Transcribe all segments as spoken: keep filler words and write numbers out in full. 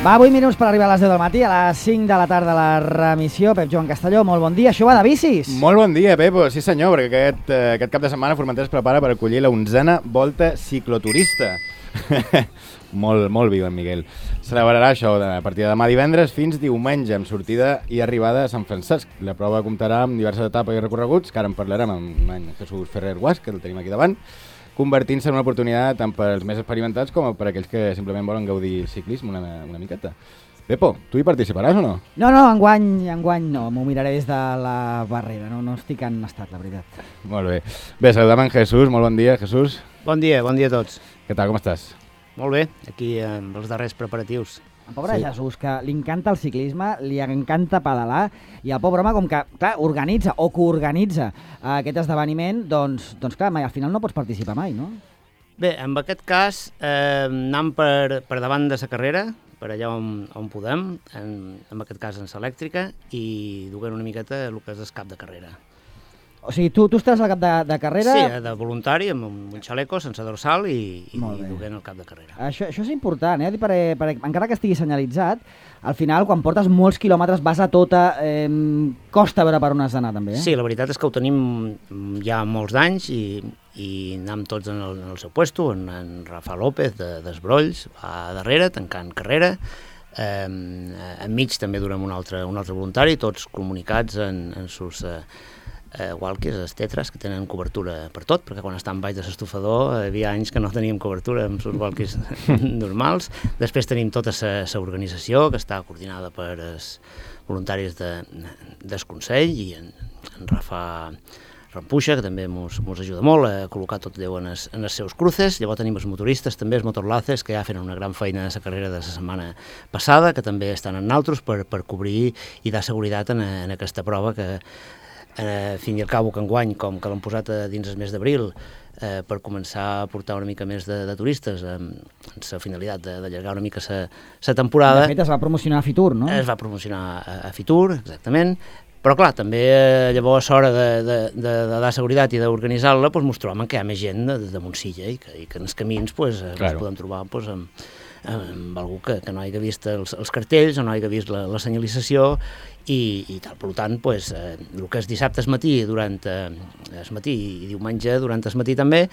Va, vuit minuts per arribar a les deu del matí, a les cinc de la tarda la remissió. Pep Joan Castelló, molt bon dia. Això va de bicis? Molt bon dia, Pepo. Sí senyor, perquè aquest, eh, aquest cap de setmana Formentera es prepara per acollir la onzena volta cicloturista. molt, molt viu en Miguel. Celebrarà això a partir de demà divendres fins diumenge, amb sortida i arribada a Sant Francesc. La prova comptarà amb diverses etapes i recorreguts, que ara en parlarem amb en Jesús Ferrer Guas, que el tenim aquí davant, convertint-se en una oportunitat tant per als més experimentats com per aquells que simplement volen gaudir ciclisme una, una miqueta. Pepo, tu hi participaràs o no? No, no, enguany, enguany no, m'ho miraré des de la barrera, no, no estic en estat, la veritat. Molt bé. Bé, saludem en Jesús, molt bon dia, Jesús. Bon dia, bon dia a tots. Què tal, com estàs? Molt bé, aquí amb els darrers preparatius. El pobre Sí. Jesús, que li encanta el ciclisme, li encanta pedalar, i el pobre home, com que, clar, organitza o coorganitza eh, aquest esdeveniment, doncs, doncs clar, mai, al final no pots participar mai, no? Bé, en aquest cas eh, anem per, per davant de la carrera, per allà on, on podem, en, en aquest cas en l'elèctrica, i duent una miqueta el que és el cap de carrera. O sigui, tu, tu estàs al cap de, de carrera... Sí, de voluntari, amb un, un xaleco sense dorsal i, i, Molt i bé. duent el cap de carrera. Això, això és important, eh? Per, per, encara que estigui senyalitzat, al final, quan portes molts quilòmetres, vas a tota... Eh, costa veure per on has d'anar, també, eh? Sí, la veritat és que ho tenim ja molts anys i, i anem tots en el, en el seu puesto, en, en Rafa López de, d'Esbrolls, a darrere, tancant carrera. Eh, enmig també durem un altre, un altre voluntari, tots comunicats en, en sus... Eh, eh, walkies, els tetres, que tenen cobertura per tot, perquè quan estàvem baix de l'estufador hi havia anys que no teníem cobertura amb els walkies normals. Després tenim tota la organització, que està coordinada per els voluntaris de, del Consell, i en, en Rafa Rampuixa, que també ens ajuda molt a col·locar tot Déu en els, en els seus cruces. Llavors tenim els motoristes, també els motorlaces, que ja feren una gran feina a la carrera de la setmana passada, que també estan en naltros per, per cobrir i dar seguretat en, en aquesta prova que, eh, fin i al cabo, que enguany, com que l'han posat a dins el mes d'abril, eh, per començar a portar una mica més de, de turistes, amb la finalitat d'allargar una mica la temporada. De fet, es va promocionar a Fitur, no? Es va promocionar a, a Fitur, exactament. Però clar, també eh, llavors a l'hora de, de, de, de dar seguretat i d'organitzar-la, doncs, ens trobem que hi ha més gent de, de Montsilla i que, i que en els camins doncs, claro. ens podem trobar doncs, amb, amb algú que, que no hagi vist els, els cartells o no hagi vist la, la senyalització i, i tal. Per tant, doncs, eh, el que és dissabte al matí, durant eh, el matí i diumenge durant el matí també,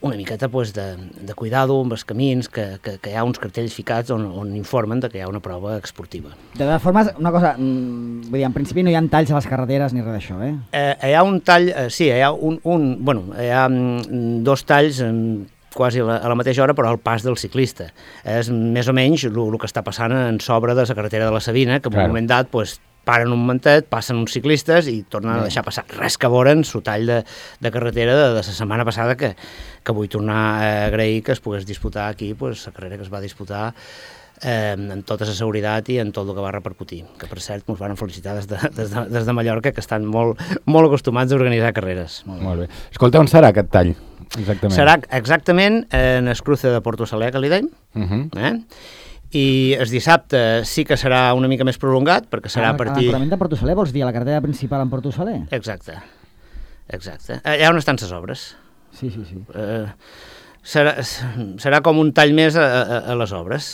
una miqueta doncs, de, de cuidado amb els camins, que, que, que hi ha uns cartells ficats on, on informen de que hi ha una prova esportiva. De totes formes, una cosa, vull dir, en principi no hi ha talls a les carreteres ni res d'això, eh? eh? Hi ha un tall, eh, sí, hi ha un, un bueno, hi ha mm, dos talls en, quasi a la, a la mateixa hora, però al pas del ciclista. És més o menys el que està passant en sobre de la carretera de la Sabina, que en claro. un moment dat, pues, paren un momentet, passen uns ciclistes i tornen a deixar passar. Res que veure'n el tall de, de carretera de, de la setmana passada, que, que vull tornar a agrair que es pogués disputar aquí, pues, la carrera que es va disputar eh, amb tota la seguretat i en tot el que va repercutir. Que, per cert, ens van felicitar des de, des de, des de Mallorca, que estan molt, molt acostumats a organitzar carreres. Molt, molt bé. Escolta, on serà aquest tall? Exactament. Serà exactament en el cruce de Porto Saler, que li deim, uh-huh. eh? I el dissabte sí que serà una mica més prolongat, perquè serà a partir... L'encarament de Porto Saler, vols dir, a la carretera principal en Porto Saler? Exacte, exacte. Allà on estan les obres. Sí, sí, sí. Eh, serà, serà com un tall més a, a, a les obres.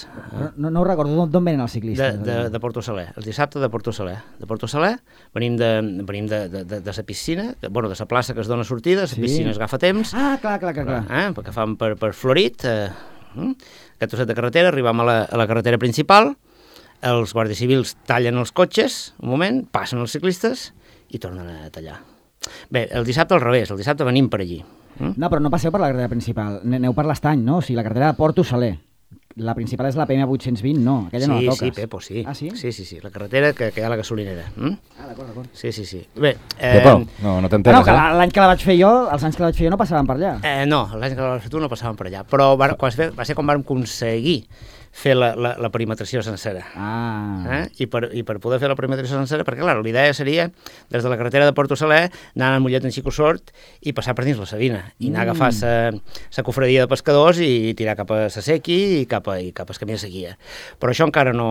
No, no ho recordo, d'on venen els ciclistes? De, de, de Porto Saler, el dissabte de Porto Saler. De Porto Saler venim de, venim de, de, de, de la piscina, que, bueno, de la plaça que es dona sortida, la sí. piscina es agafa temps. Ah, clar, clar, clar. clar. Eh, perquè fan per, per Florit, eh, aquest trosset de carretera, arribem a la, a la carretera principal, els guàrdies civils tallen els cotxes, un moment, passen els ciclistes i tornen a tallar. Bé, el dissabte al revés, el dissabte venim per allí. Mm? No, però no passeu per la carretera principal, aneu per l'Estany, no? O sigui, la carretera de Porto Saler. La principal és la P M vuit-cents vint, no? Aquella sí, no la toques. Sí, Pepo, sí. Ah, sí? Sí, sí, sí, la carretera que, que hi ha a la gasolinera. Mm? Ah, d'acord, d'acord. Sí, sí, sí. Bé, eh... Pepo, no, no t'enteres, no, que eh? L'any que la vaig fer jo, els anys que la vaig fer jo no passaven per allà. Eh, no, l'any que la vaig fer tu no passaven per allà, però va, va ser quan vam aconseguir fer la, la, la perimetració sencera. Ah. Eh? I, per, I per poder fer la perimetració sencera, perquè clar, la idea seria, des de la carretera de Porto Saler, anar a Mollet en Xicosort i passar per dins la Sabina, i anar mm. a agafar la cofradia de pescadors i tirar cap a la Sequi i cap a, i cap al camí de Seguia. Però això encara no,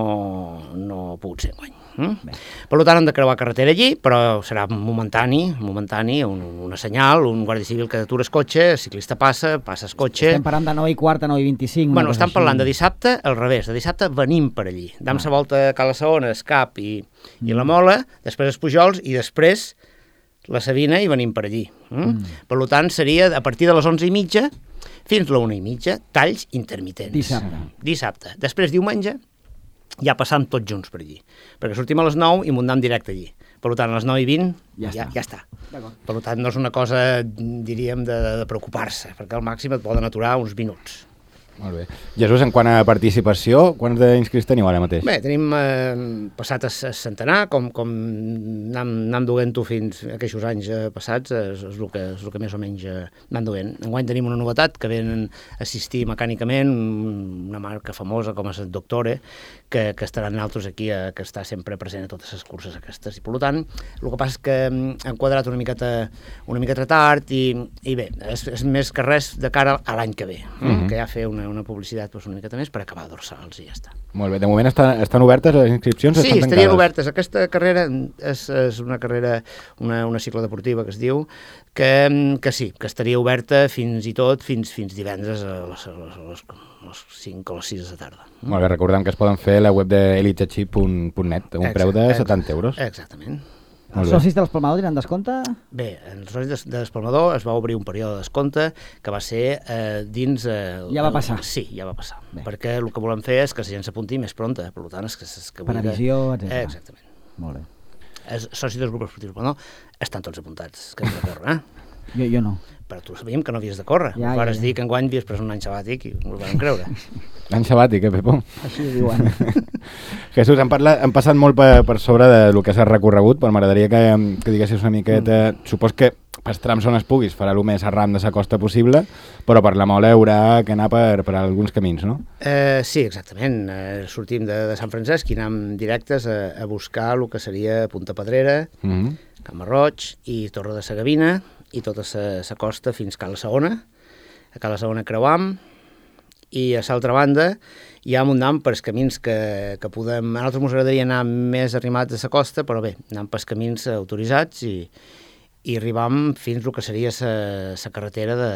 no ha pogut ser enguany. Mm? Per tant, hem de creuar carretera allí, però serà momentani, momentani, un, una senyal, un guàrdia civil que atures cotxe, el ciclista passa, passes cotxe... Estem parlant de nou i quart a nou i vint-i-cinc. Bueno, estem parlant de dissabte al revés, de dissabte venim per allí. Dam la volta a Cala Saona, el Cap i, mm. i la Mola, després els Pujols i després la Sabina i venim per allí. Mm? Mm. Per tant, seria a partir de les onze i mitja fins a la una i mitja, talls intermitents. Dissabte. Dissabte. Després, diumenge, ja passam tots junts per allí. Perquè sortim a les nou i m'ho anem directe allí. Per tant, a les nou i vint ja, ja, ja està. Per tant, no és una cosa, diríem, de, de preocupar-se, perquè al màxim et poden aturar uns minuts. Molt bé. Jesús, en quant a participació, quants d'inscrits teniu ara mateix? Bé, tenim eh, passat a centenar, com, com anam, anam duent-ho fins a aquests anys eh, passats, és, és, el que, és el que més o menys eh, anam duent. Enguany tenim una novetat, que venen a assistir mecànicament, una marca famosa com és el Doctore, que, que estaran altres aquí, eh, que està sempre present a totes les curses aquestes. I per tant, el que passa és que hem quadrat una miqueta, una miqueta tard i, i bé, és, és més que res de cara a l'any que ve, mm-hmm. que ja fer una una publicitat pues, una miqueta més per acabar dorsals i ja està. Molt bé, de moment estan, estan obertes les inscripcions? Sí, estan estarien obertes. Aquesta carrera és, és una carrera, una, una cicla deportiva que es diu, que, que sí, que estaria oberta fins i tot fins, fins divendres a les, a les, a les, a les cinc o les sis de la tarda. Molt bé, recordem que es poden fer a la web de elitechip punt net a un exacte, preu de setanta euros. Exactament. Els socis de l'Espalmador tenen descompte? Bé, els socis de l'Espalmador es va obrir un període de descompte que va ser eh, dins... Eh, ja va passar? El, sí, ja va passar. Bé. Perquè el que volem fer és que la gent s'apunti més pronta, per tant és que... És que Previsió, etcètera. Eh, exactament. Molt bé. Els socis dels grups esportius Espalmador estan tots apuntats, que has de córrer, eh? Jo, jo no. Però tu sabíem que no havies de córrer. Ja, Vares ja, ja. dir que enguany havies pres un any sabàtic i ho vam creure. L'any sabàtic, eh, Pepo? Així ho diuen. Jesús, hem, parlat, hem passat molt per, per sobre del que s'ha recorregut, però m'agradaria que, que diguessis una miqueta... Mm. Supos que pels trams on es puguis farà el més arran de la costa possible, però per la Mola haurà que anar per, per alguns camins, no? Eh, sí, exactament. Eh, sortim de, de Sant Francesc i anem directes a, a buscar el que seria Punta Pedrera, mm-hmm. Camarroig i Torre de Sagavina, i tota la costa fins a Cala Saona. A Cala Saona creuam, i a l'altra banda ja anem pels camins que, que podem... A nosaltres ens agradaria anar més arrimats a la costa, però bé, anem pels camins autoritzats i, i arribam fins al que seria la carretera de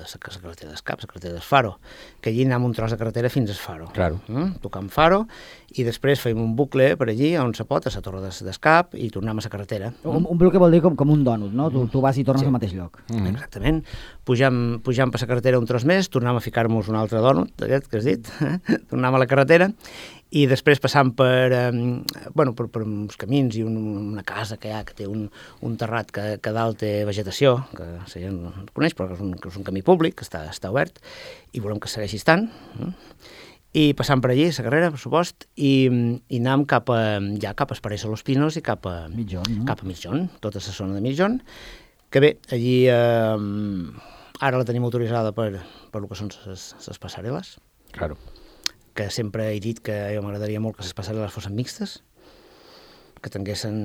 la carretera d'Escap, la carretera d'Esfaro, que allí anem un tros de carretera fins a Esfaro. Claro. Mm? Tocam Faro, i després fem un bucle per allí, on se pot, a la torre d'Escap, i tornem a la carretera. Un, un bucle vol dir com, com un dònut, no? Tu, tu vas i tornes sí. al mateix lloc. Mm-hmm. Exactament. Pujam, pujam per la carretera un tros més, tornem a ficar-nos un altre dònut, aquest que has dit, eh? Tornem a la carretera, i després passant per, eh, bueno, per, per uns camins i un, una casa que hi ha, que té un, un terrat que, que dalt té vegetació, que la gent no coneix, però que és un, que és un camí públic, que està, està obert, i volem que segueixi estant. Eh? I passant per allí, la carrera, per supost, i, i anem cap a, ja cap a Esparessa Los Pinos i cap a Mitjón, no? Cap a Mitjón, tota la zona de Mitjón, que bé, allí eh, ara la tenim autoritzada per, per el que són les passarel·les. Claro. Que sempre he dit que jo m'agradaria molt que les passarel·les fossin mixtes, que tinguessin...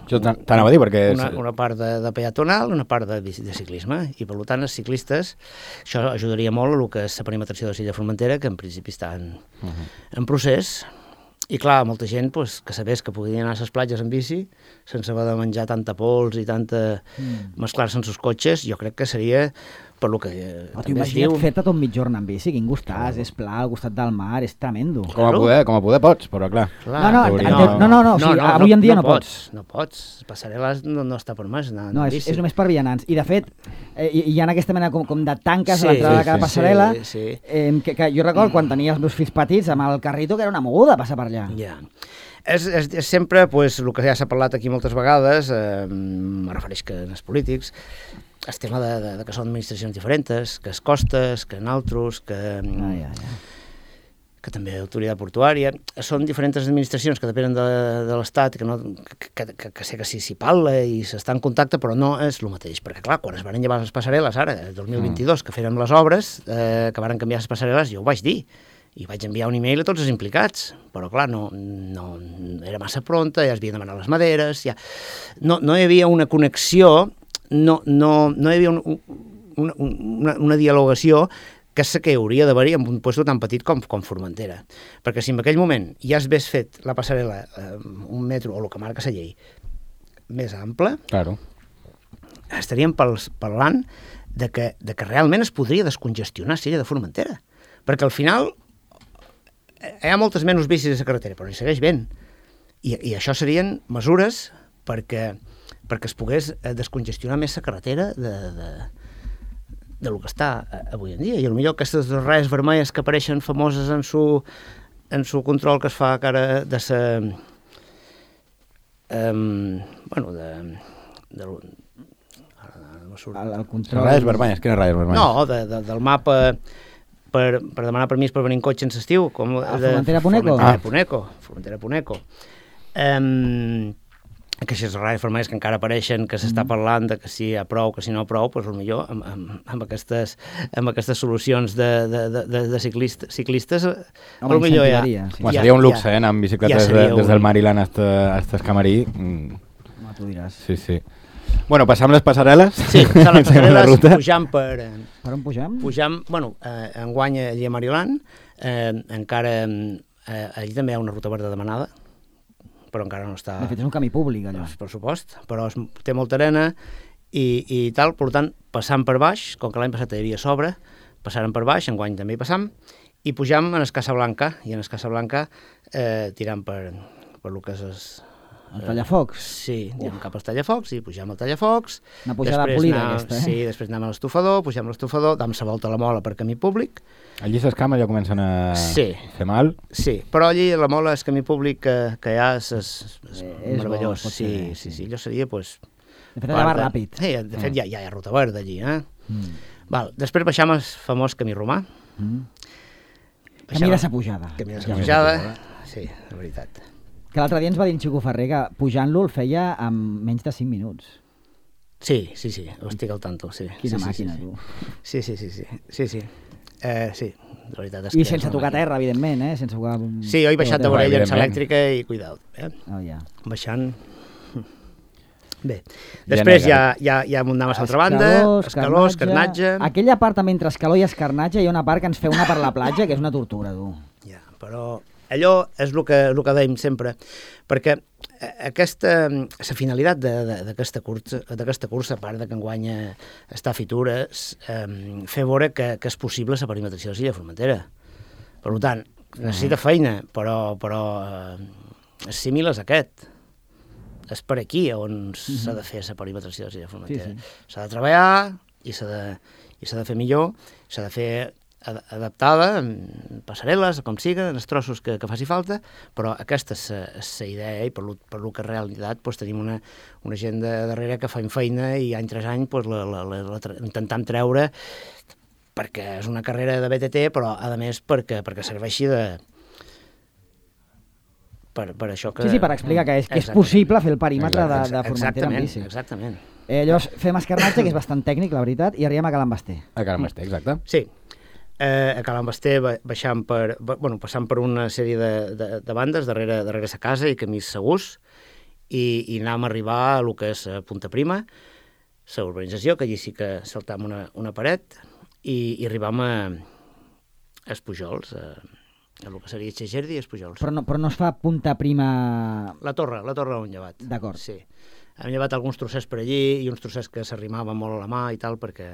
Jo t'anava a dir, perquè... Una, una part de, de peatonal, una part de, de ciclisme, i per tant els ciclistes, això ajudaria molt a el que és la perimetració de Silla Formentera, que en principi està en, uh-huh. en procés, i clar, molta gent pues, que sabés que podien anar a les platges en bici, sense haver de menjar tanta pols i tanta... Mm. mesclar-se en els cotxes, jo crec que seria... per lo que eh, oh, també es diu... Fer-te tot mitjorn en bici, quin gustàs, és pla, al costat del mar, és tremendo. Com a poder, com a poder pots, però clar. clar no, no, no, no, no, no, no, o sigui, no, no, avui en dia no, no pots. No pots, passarel·les no, no està per més. No, no és, és només per vianants. I de fet, eh, hi ha aquesta mena com, com de tanques sí, a l'entrada sí, de cada passarel·la, sí, sí. Eh, que, que jo recordo quan tenia els meus fills petits amb el carrito que era una moguda passar per allà. Ja. És, és, és sempre, pues, el que ja s'ha parlat aquí moltes vegades, eh, me refereix que en els polítics, el tema de, de, de que són administracions diferents, que es costes, que naltros, que, ah, ja, ja. que també autoritat portuària, són diferents administracions que depenen de, de l'Estat, que, no, que, que, que sé que s'hi si parla i s'està en contacte, però no és el mateix, perquè clar, quan es van llevar les passarel·les ara, el dos mil vint-i-dos, que fèrem les obres, eh, que van canviar les passarel·les, jo ho vaig dir, i vaig enviar un e-mail a tots els implicats, però clar, no, no era massa pronta, ja es havien demanat les maderes, ja... no, no hi havia una connexió, no, no, no hi havia un, una, una, una dialogació que és que hauria d'haver-hi en un lloc tan petit com, com Formentera. Perquè si en aquell moment ja es hagués fet la passarel·la eh, un metro, o el que marca la llei, més ample, Claro. estaríem pels, parlant de que, de que realment es podria descongestionar Sella de Formentera. Perquè al final eh, hi ha moltes menys bicis a la carretera, però hi segueix ben. I, i això serien mesures perquè, perquè es pogués descongestionar més la carretera de... de de lo que està avui en dia. I potser aquestes ratlles vermelles que apareixen famoses en su, en su control que es fa cara de sa... Um, bueno, de... de, de El, el control... Ratlles vermelles, quines ratlles vermelles? no, de, de, del mapa per, per demanar permís per venir en cotxe en l'estiu. Com A de Formentera-Puneco? Formentera Puneco. Formentera-Puneco. Um, aquestes ratlles vermelles que encara apareixen, que s'està parlant de que si hi ha prou, que si no prou, doncs potser amb, amb, amb, aquestes, amb aquestes solucions de, de, de, de ciclistes, ciclistes Home, potser ja... incentivaria, sí. Bueno, ja- seria un luxe, ja- eh, anar amb bicicletes ja de, seria des del un- Maryland hasta, hasta Escamarí. Mm, No, tu diràs. sí, sí. Bueno, passam les passarel·les. Sí, passant les Seguim la passarel·les, ruta. pujant per... eh, Per on pugem? Pujam, bueno, eh, enguany allí a Maryland, eh, encara, eh, allí també hi ha una ruta verda demanada, però encara no està... De fet, és un camí públic, allò. Per supost, però es, té molta arena i, i tal, per tant, passant per baix, com que l'any passat hi havia sobre, passàrem per baix, enguany també hi passam, i pujam en Escassa Blanca, i en Escassa Blanca eh, tirant per, per lo que és... Es, El tallafocs. Sí, anem cap al tallafocs i pujam al tallafocs. Una pujada Després polida, anem- aquesta, eh? Sí, després anem a l'estufador, pugem a l'estufador, dam la volta a la mola per camí públic. Allí les cames ja comencen a Sí. fer mal. Sí, però allí la mola, el camí públic que, que hi ha és, és, és Eh, és bo, meravellós. pot Sí, ser, sí, sí. sí, allò seria, doncs... De fet, allà va ràpid. Sí, de fet, ja, ja hi ha ruta verda allí, eh? Mm. Val, després baixam el famós camí romà. Mm. Baixam- Camí de sa pujada. Camí de sa Camí de sa pujada. pujada. Sí, la veritat. Que l'altre dia ens va dir en Xico Ferrer que pujant-lo el feia en menys de cinc minuts. Sí, sí, sí, ho estic al tanto, sí. Quina sí, màquina, sí, tu. sí. Sí, sí, sí, sí, sí, sí. Eh, sí, la veritat és I que... és sense una tocar màquina. terra, evidentment, eh? Sense tocar... Sí, jo he baixat de terra. vorella amb evidentment. l'elèctrica i cuidao, eh? Oh, ja. Baixant... Bé, després ja, ja, ja anem a l'altra banda, escaló, escarnatge... Aquella part també entre escaló i escarnatge hi ha una part que ens fe una per la platja que és una tortura, tu. Ja, però allò és el que, el que dèiem sempre, perquè aquesta, la finalitat de- de- d'aquesta cursa, d'aquesta cursa, a part de que enguanya està a Fitures, eh, fer veure que, que és possible la perimetració de Silla de Formentera. Per tant, necessita feina, però, però eh, el símil és aquest. És per aquí on s'ha de fer la perimetració de Silla de Formentera. Sí, S'ha de treballar i s'ha de, i s'ha de fer millor, s'ha de fer ad- adaptada, amb passarel·les, com siga, en els trossos que, que faci falta, però aquesta és la idea i per lo, per lo que en realitat pues, tenim una, una gent de darrere que fa feina i any tras any pues, la, la, la, la, tra- intentant treure perquè és una carrera de B T T, però a més perquè, perquè serveixi de... Per, per això que... Sí, sí, per explicar que és, que és Exactament. possible fer el perímetre de, de Formentera amb Exactament, bici. exactament. Eh, llavors, fem escarnatge, que és bastant tècnic, la veritat, i arribem a Can Basté. A Can Basté, exacte. Sí, eh, a Can Basté baixant per, bueno, passant per una sèrie de, de, de bandes darrere, darrere sa casa i camins segurs i, i anàvem a arribar a lo que és eh, Punta Prima, la urbanització, que allí sí que saltam una, una paret i, i arribam a, a Espujols, a, a lo que seria Xegerdi i Espujols. Però no, però no es fa punta prima... La torre, la torre on llevat. D'acord. Sí. Hem llevat alguns trossets per allí i uns trossets que s'arrimaven molt a la mà i tal, perquè,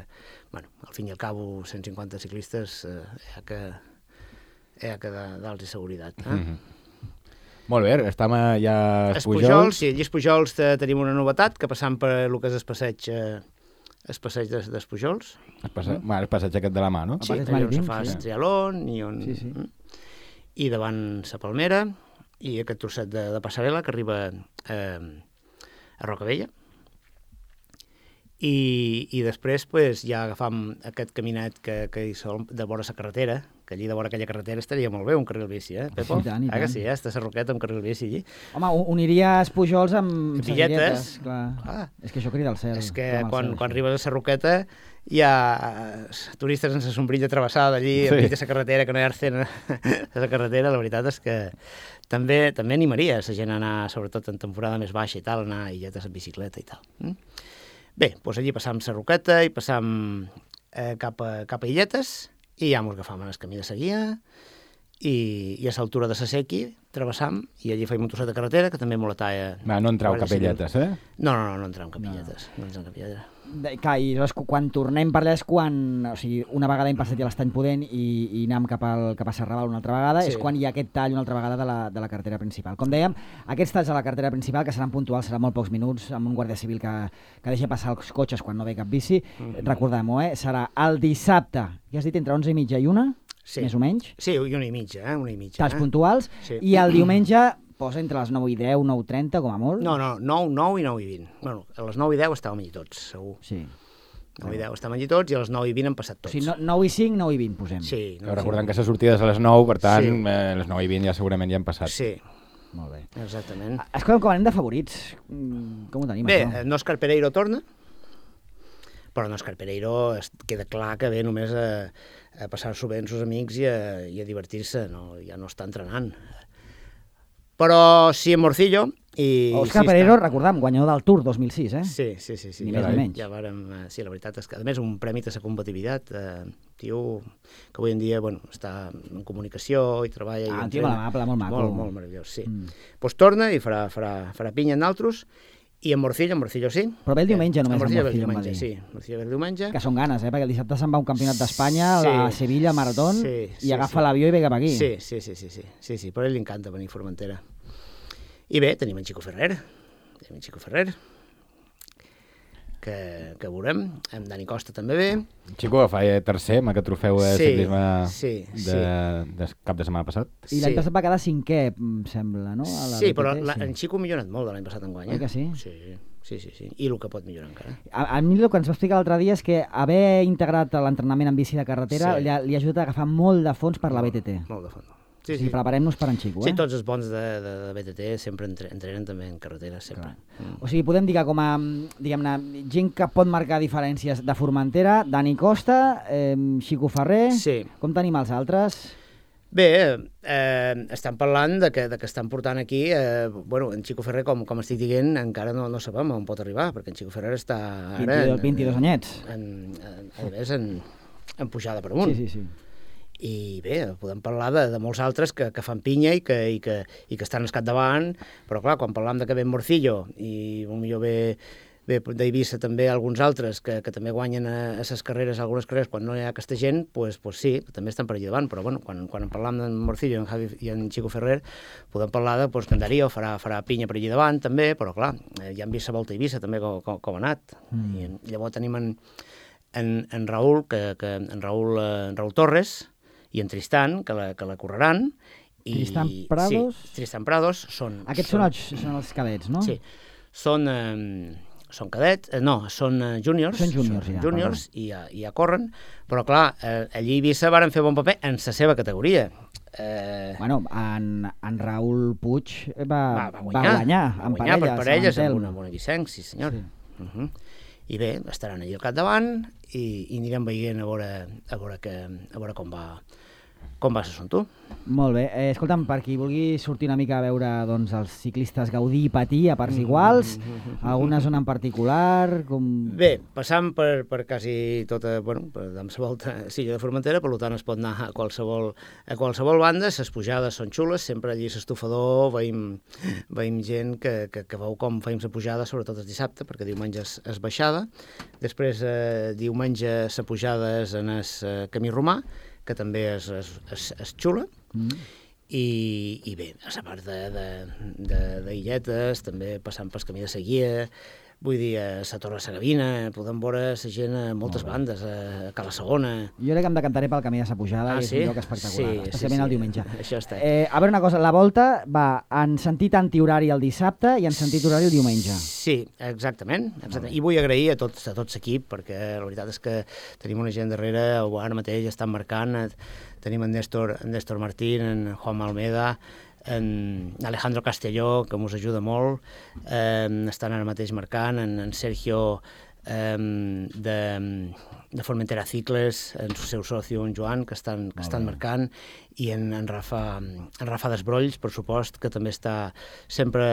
bueno, al fin i al cabo, cent cinquanta ciclistes eh, hi ha que, hi ha que dar-los seguretat. Eh? Mm -hmm. Molt bé, estem a, ja a Espujols, Espujols. sí, allí a Espujols eh, tenim una novetat, que passant per el que és el passeig, eh, el passeig d'Es- d'Espujols. El passeig, bueno, el passeig aquest de la mà, no? Sí, passeig allà on se marítim, fa sí. el trialón i on... Sí, sí. Mm. I davant la Palmera i aquest trosset de, de passarel·la que arriba eh, a Rocavella. I, i després pues, ja agafam aquest caminet que, que hi sol de vora la carretera, que allí de vora aquella carretera estaria molt bé un carril bici, eh, Pepo? I tant, i Ah, que tant. sí, eh? Està Sarroqueta amb carril bici allí. Home, u- uniria Espujols amb... Billetes. Segelletes, clar. Ah. És que això crida al cel. És que clama al quan, cel, quan això. arribes a Sarroqueta hi ha turistes sense sombrilla travessada allí, Sí. enmig de la carretera, que no hi ha arcén a la carretera. La veritat és que també també animaria la gent a anar, sobretot en temporada més baixa i tal, anar a illetes en bicicleta i tal. Mm? Bé, doncs allí passam Sarroqueta i passam eh, cap, a, cap a Illetes i ja mos agafam en el camí de seguia, i, i a l'altura de la Sequi travessam, i allí feim un trosset de carretera, que també moletava... Va, no entreu capelletes, eh? No, no, no, no entrem capelletes, no, no entrem capelletes. De, clar, i llavors, quan tornem per allà és quan, o sigui, una vegada hem passat ja l'Estany Pudent i, i anem cap, al, cap a Serrabal una altra vegada, sí. És quan hi ha aquest tall una altra vegada de la, de la carretera principal. Com dèiem, aquests talls a la carretera principal, que seran puntuals, seran molt pocs minuts, amb un guàrdia civil que, que deixa passar els cotxes quan no ve cap bici, mm-hmm. Recordem-ho, eh? Serà el dissabte, ja has dit, entre onze i mitja i una, sí. Més o menys? Sí, i una i mitja, eh? Una i mitja. Talls eh? puntuals, sí. I el diumenge posa entre les nou i deu, nou i trenta, com a molt? No, no, nou, nou i nou i vint. Bueno, a les nou i deu estàvem allí tots, segur. Sí. nou i deu estàvem allí tots i a les nou i vint hem passat tots. O sigui, nou i cinc, nou i vint posem. Sí. No, recordem que la sortida és a les nou, per tant, sí. eh, a les nou i vint ja segurament ja hem passat. Sí. Molt bé. Exactament. Escolta'm, com anem de favorits? Com ho tenim, bé, això? Bé, Òscar Pereiro torna, però Òscar Pereiro queda clar que ve només a, a passar-s'ho bé amb els amics i a, i a divertir-se, no, ja no està entrenant. Però sí, en Morcillo... I, Òscar sí, Pereiro, està... recordam, guanyador del Tour dos mil sis, eh? Sí, sí, sí. sí. Ni més ni menys. Ja vàrem, sí, la veritat és que, a més, un premi de la competitivitat, eh, tio, que avui en dia, bueno, està en comunicació i treballa... Ah, i un tio molt amable, molt maco. Molt, molt meravellós, sí. Mm. Pues torna i farà, farà, farà pinya en altres, i en Morcillo, en Morcillo sí. Però ve el diumenge només, en Morcillo, en Morcillo, diumenge, sí. Morcillo ve el diumenge. Que són ganes, eh? Perquè el dissabte se'n va un campionat d'Espanya, sí. a Sevilla, Maratón, sí, sí, i agafa sí. l'avió i ve cap aquí. Sí, sí, sí, sí, sí, sí, sí, però a ell li encanta venir a Formentera. I bé, tenim en Chico Ferrer, tenim en Chico Ferrer, que, que veurem, en Dani Costa també ve. Chico fa tercer amb aquest trofeu de sí, ciclisme sí, de, sí. de cap de setmana passat. I l'any sí. passat va quedar cinquè, em sembla, no? A la sí, B T T, però la, sí. en Chico ha millorat molt de l'any passat en guany. Oi que sí? Sí, sí, sí, sí. I el que pot millorar encara. A, a mi el que ens va explicar l'altre dia és que haver integrat l'entrenament en bici de carretera sí. li, ha, li ha ajudat a agafar molt de fons per la B T T. Molt de fons. Sí, sí. O sigui, preparem-nos per en Chico, eh? Sí, tots els bons de, de, de B T T sempre entre, entrenen també en carretera, sempre. Mm. O sigui, podem dir que com a, diguem-ne, gent que pot marcar diferències de Formentera, Dani Costa, eh, Chico Ferrer... Sí. Com tenim els altres? Bé, eh, estan parlant de que, de que estan portant aquí... Eh, bueno, en Chico Ferrer, com, com estic dient, encara no, no sabem on pot arribar, perquè en Chico Ferrer està ara... vint-i-dos, vint-i-dos anyets. En, en, a més, en, en pujada per amunt. Sí, sí, sí. I bé, podem parlar de, de molts altres que, que fan pinya i que, i, que, i que estan al capdavant, però clar, quan parlam de que ve Morcillo i potser ve, ve d'Eivissa també alguns altres que, que també guanyen a, a ses carreres, algunes carreres, quan no hi ha aquesta gent, pues, pues sí, també estan per allà davant, però bueno, quan, quan en parlam d'en Morcillo en Javi, i en Chico Ferrer, podem parlar de pues, que en Darío farà, farà pinya per allà davant també, però clar, ja han vist la volta a Eivissa també com, com, com ha anat. Mm. I llavors tenim en, en, en Raül, que, que en Raül, en Raül Torres, i en Tristan, que la, que la correran. I, Tristan Prados? Sí, Tristan Prados són... Aquests són, són, els, són els cadets, no? Sí, són, eh, són cadets, eh, no, són eh, júniors. Són júniors, són ja. Júniors i ja, ja corren, però clar, eh, allí a Eivissa varen fer bon paper en la seva categoria. Eh... Bueno, en, en Raül Puig va, va, va guanyar, va guanyar va en guanyar parelles, per parelles amb amb una bona Vicenç, sí senyor. Sí. Uh -huh. I bé, estaran allà al capdavant i, i anirem veient a veure, a veure, que, a veure com va... Com va ser tu? Molt bé. Eh, escolta'm, per qui vulgui sortir una mica a veure doncs, els ciclistes gaudir i patir a parts iguals, alguna zona en particular... Com... Bé, passant per, per quasi tota, bueno, per amb la volta Silla de Formentera, per tant es pot anar a qualsevol, a qualsevol banda, les pujades són xules, sempre allí a l'estufador veiem, veiem gent que, que, que veu com feim la pujada, sobretot el dissabte, perquè diumenge és, és baixada, després eh, diumenge la pujada és en el eh, camí romà, que també és, és, és, és xula, mm. I, i bé, a la part d'Illetes, també passant pel camí de Seguia, vull dir, a la Torre de la Gavina, podem veure la gent a moltes bandes, a Cala Segona... Jo crec que em decantaré pel camí de la pujada, ah, i és sí? un lloc espectacular, sí, especialment sí, sí. el diumenge. Això està. Eh, a veure una cosa, la volta va en sentit antihorari el dissabte i en sentit horari el diumenge. Sí, exactament. exactament. I vull agrair a tots a tot l'equip, perquè la veritat és que tenim una gent darrere, ara mateix estan marcant, tenim en Néstor, en Néstor Martín, en Juan Almeda, en Alejandro Castelló, que ens ajuda molt, eh, estan ara mateix marcant, en, en Sergio eh, de, de Formentera Cicles, en el seu soci, en Joan, que estan, que estan marcant, i en, en, Rafa, en Rafa Desbrolls, per supost, que també està sempre,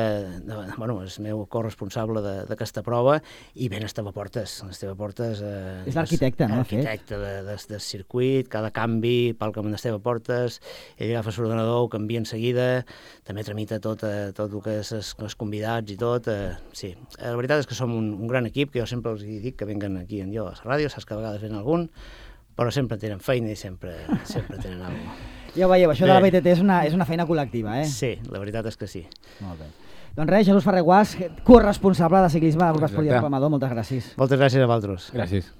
bueno, és meu corresponsable d'aquesta prova, i ben Esteve Portes. Esteve Portes eh, és l'arquitecte, no? L'arquitecte de, de, del circuit, cada canvi, pel camp d'Esteve Portes, ell agafa l'ordenador, ho canvia en seguida, també tramita tot, eh, tot el que és els, els convidats i tot. Eh, sí, la veritat és que som un, un gran equip, que jo sempre els dic que venguen aquí en jo a la ràdio, saps que a vegades ven algun, però sempre tenen feina i sempre, sempre tenen alguna cosa. Ja ho veieu, això bé. De la B T T és una, és una feina col·lectiva, eh? Sí, la veritat és que sí. Molt bé. Doncs res, Jesús Ferrer Guàs, corresponsable de ciclisme del Grup Esportiu Amador, moltes gràcies. Moltes gràcies a vosaltres. Gràcies.